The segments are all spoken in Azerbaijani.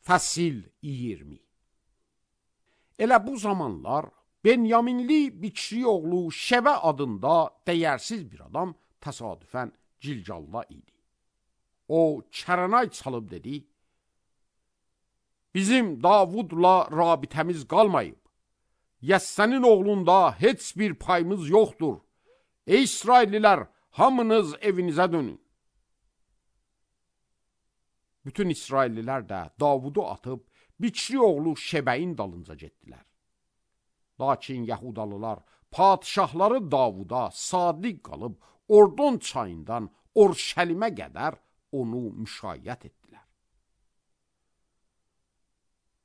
Fəsil 20. Elə bu zamanlar Benyaminli Biçri oğlu Şəbə adında dəyərsiz bir adam təsadüfən Cilcalda idi. O çərənay çalıb dedi, bizim Davudla rabitəmiz qalmayıb. Yəssənin oğlunda heç bir payımız yoxdur. Ey İsraillilər, hamınız evinizə dönün. Bütün İsraillilər də Davudu atıb Biçri oğlu Şəbəyin dalınca getdilər. Lakin Yahudalılar padişahları Davuda sadiq qalıb Ordon çayından Orşəlimə qədər onu müşayiət etdilər.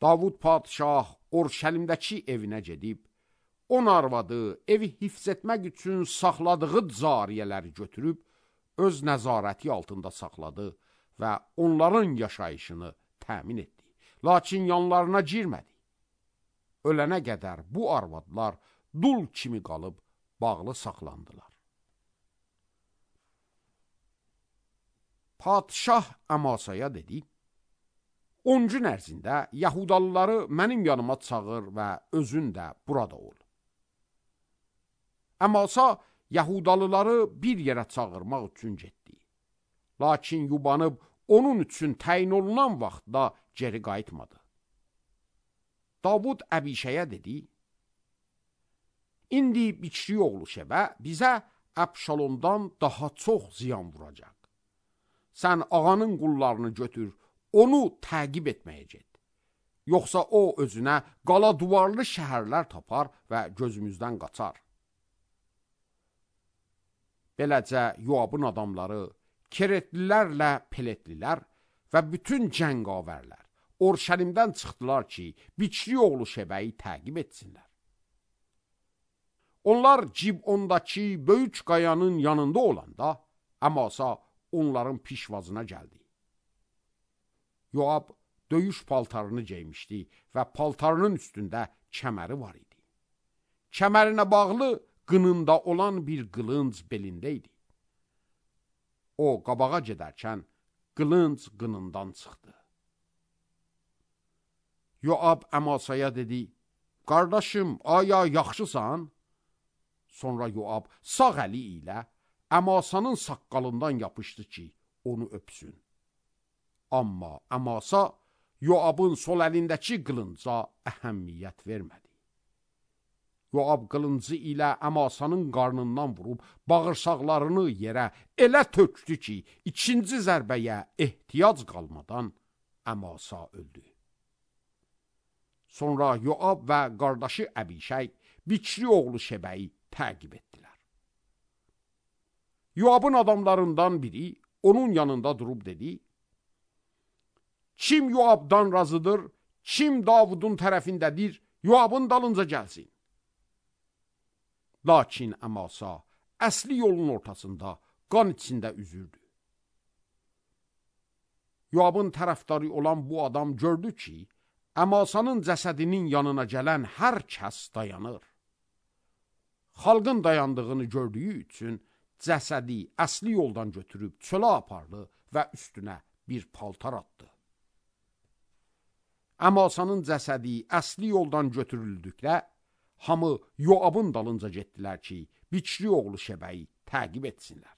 Davud padişah Orşəlimdəki evinə gedib, 10 arvadı evi hifz etmək üçün saxladığı cariyələri götürüb, öz nəzarəti altında saxladı və onların yaşayışını təmin etdi. Lakin yanlarına girmədi. Ölənə qədər bu arvadlar dul kimi qalıb bağlı saxlandılar. Padişah Əmasaya dedi, 10 gün ərzində Yahudalıları mənim yanıma çağır və özün də burada ol. Əmasa Yahudalıları bir yerə çağırmaq üçün getdi. Lakin yubanıb onun üçün təyin olunan vaxtda geri qayıtmadı. Davud Əbişəyə dedi, İndi Biçri oğlu Şəbə bizə Əbşalomdan daha çox ziyan vuracaq. Sən ağanın qullarını götür, onu təqib etməyə get. Yoxsa o özünə qala duvarlı şəhərlər tapar və gözümüzdən qaçar. Beləcə Yoabın adamları, Keretlilərlə Peletlilər və bütün cəngavərlər Orşəlimdən çıxdılar ki, Biçri oğlu Şəbəyi təqib etsinlər. Onlar Cibondakı böyük qayanın yanında olanda, Əmasa onların pişvazına gəldi. Yoab döyüş paltarını geymişdi və paltarının üstündə kəməri var idi. Kəmərinə bağlı qınında olan bir qılınc belində idi. O qabağa gedərkən qılınc qınından çıxdı. Yoab Əmasaya dedi, qardaşım, aya yaxşısan? Sonra Yoab sağ əli ilə Əmasanın saqqalından yapışdı ki, onu öpsün. Amma Əmasa Yoabın sol əlindəki qılınca əhəmmiyyət vermədi. Yoab qılıncı ilə Əmasanın qarnından vurub bağırsaqlarını yerə elə tökdü ki, ikinci zərbəyə ehtiyac qalmadan Əmasa öldü. Sonra Yoab və qardaşı Əbişəy Biçri oğlu Şəbəyi təqib etdilər. Yoabın adamlarından biri onun yanında durub dedi, kim Yoabdan razıdır, kim Davudun tərəfindədir, Yoabın dalınca gəlsin. Lakin Əmasa əsli yolun ortasında qan içində üzürdü. Yoabın tərəfdarı olan bu adam gördü ki, Əmasanın cəsədinin yanına gələn hər kəs dayanır. Xalqın dayandığını gördüyü üçün cəsədi əsli yoldan götürüb çölə apardı və üstünə bir paltar atdı. Əmasanın cəsədi əsli yoldan götürüldükdə, hamı Yoabın dalınca getdilər ki, Biçri oğlu Şəbəyi təqib etsinlər.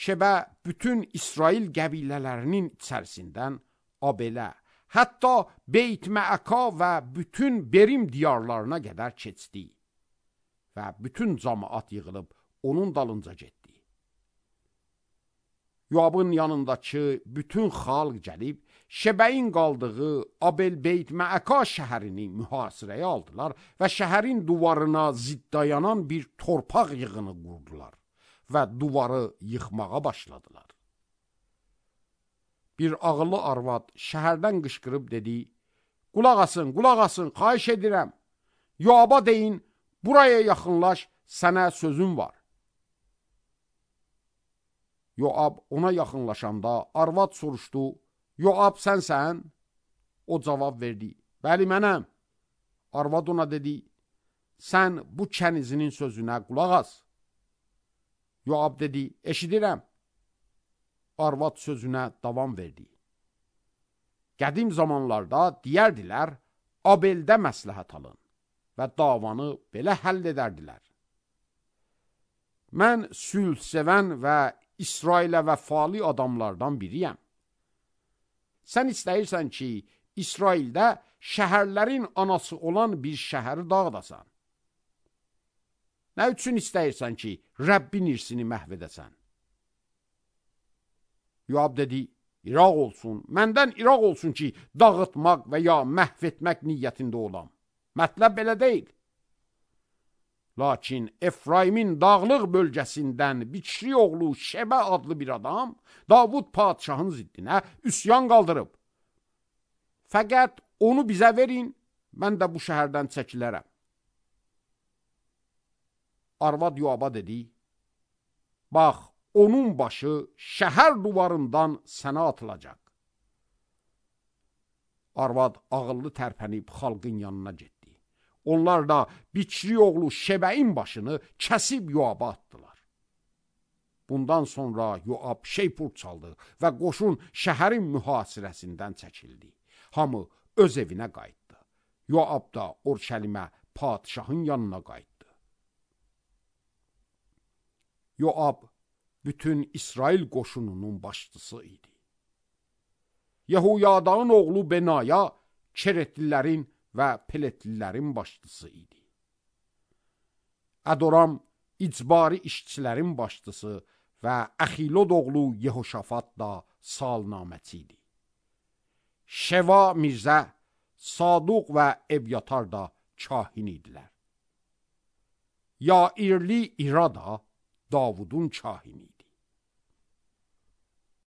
Şəbə bütün İsrail qəbilələrinin içərisindən Abelə, hətta Beyt-Məəka və bütün Berim diyarlarına qədər keçdi və bütün cəmaət yığılıb onun dalınca getdi. Yoabın yanındakı bütün xalq gəlib, Şəbəyin qaldığı Abel-Beyt-Məəka şəhərini mühasirəyə aldılar və şəhərin duvarına zidd dayanan bir torpaq yığını qurdular və duvarı yıxmağa başladılar. Bir ağıllı arvad şəhərdən qışqırıb dedi, qulaq asın, xahiş edirəm. Yoaba deyin, buraya yaxınlaş, sənə sözüm var. Yoab ona yaxınlaşanda arvad soruşdu, Yoab sənsən? O cavab verdi, bəli mənəm. Arvad ona dedi, sən bu kənizinin sözünə qulaq as. Yoab dedi, eşidirəm. arvad sözünə davam verdi. Qədim zamanlarda deyərdilər, Abeldə məsləhət alın və davanı belə həll edərdilər. Mən sülh sevən və İsrailə vəfalı adamlardan biriyəm. Sən istəyirsən ki, İsraildə şəhərlərin anası olan bir şəhəri dağıdasan. Nə üçün istəyirsən ki, Rəbbin irsini məhv edəsən? Yoab dedi, İraq olsun, məndən İraq olsun ki, dağıtmaq və ya məhv etmək niyyətində olam. Mətləb belə deyil. Lakin Efraimin dağlıq bölgəsindən Biçri oğlu Şəbə adlı bir adam Davud padişahın ziddinə üsyan qaldırıb. Fəqət onu bizə verin, mən də bu şəhərdən çəkilərəm. Arvad Yoaba dedi, bax, onun başı şəhər duvarından sənə atılacaq. Arvad ağıllı tərpənib xalqın yanına getdi. Onlar da Biçri oğlu Şəbəyin başını kəsib Yoaba atdılar. Bundan sonra Yoab şeypur çaldı və qoşun şəhərin mühasirəsindən çəkildi. Hamı öz evinə qayıtdı. Yoab da Orşəlimə padişahın yanına qayıtdı. Yoab bütün İsrail qoşununun başçısı idi. Yehuyadağın oğlu Benaya Keretlilərin və Peletlilərin başçısı idi. Ədoram icbari işçilərin başçısı və Əxilod oğlu Yehoşafat da salnaməçi idi. Şeva Mirzə, Saduq və Evyatar da kahin idilər. Yairli İra da Davudun kahini idi.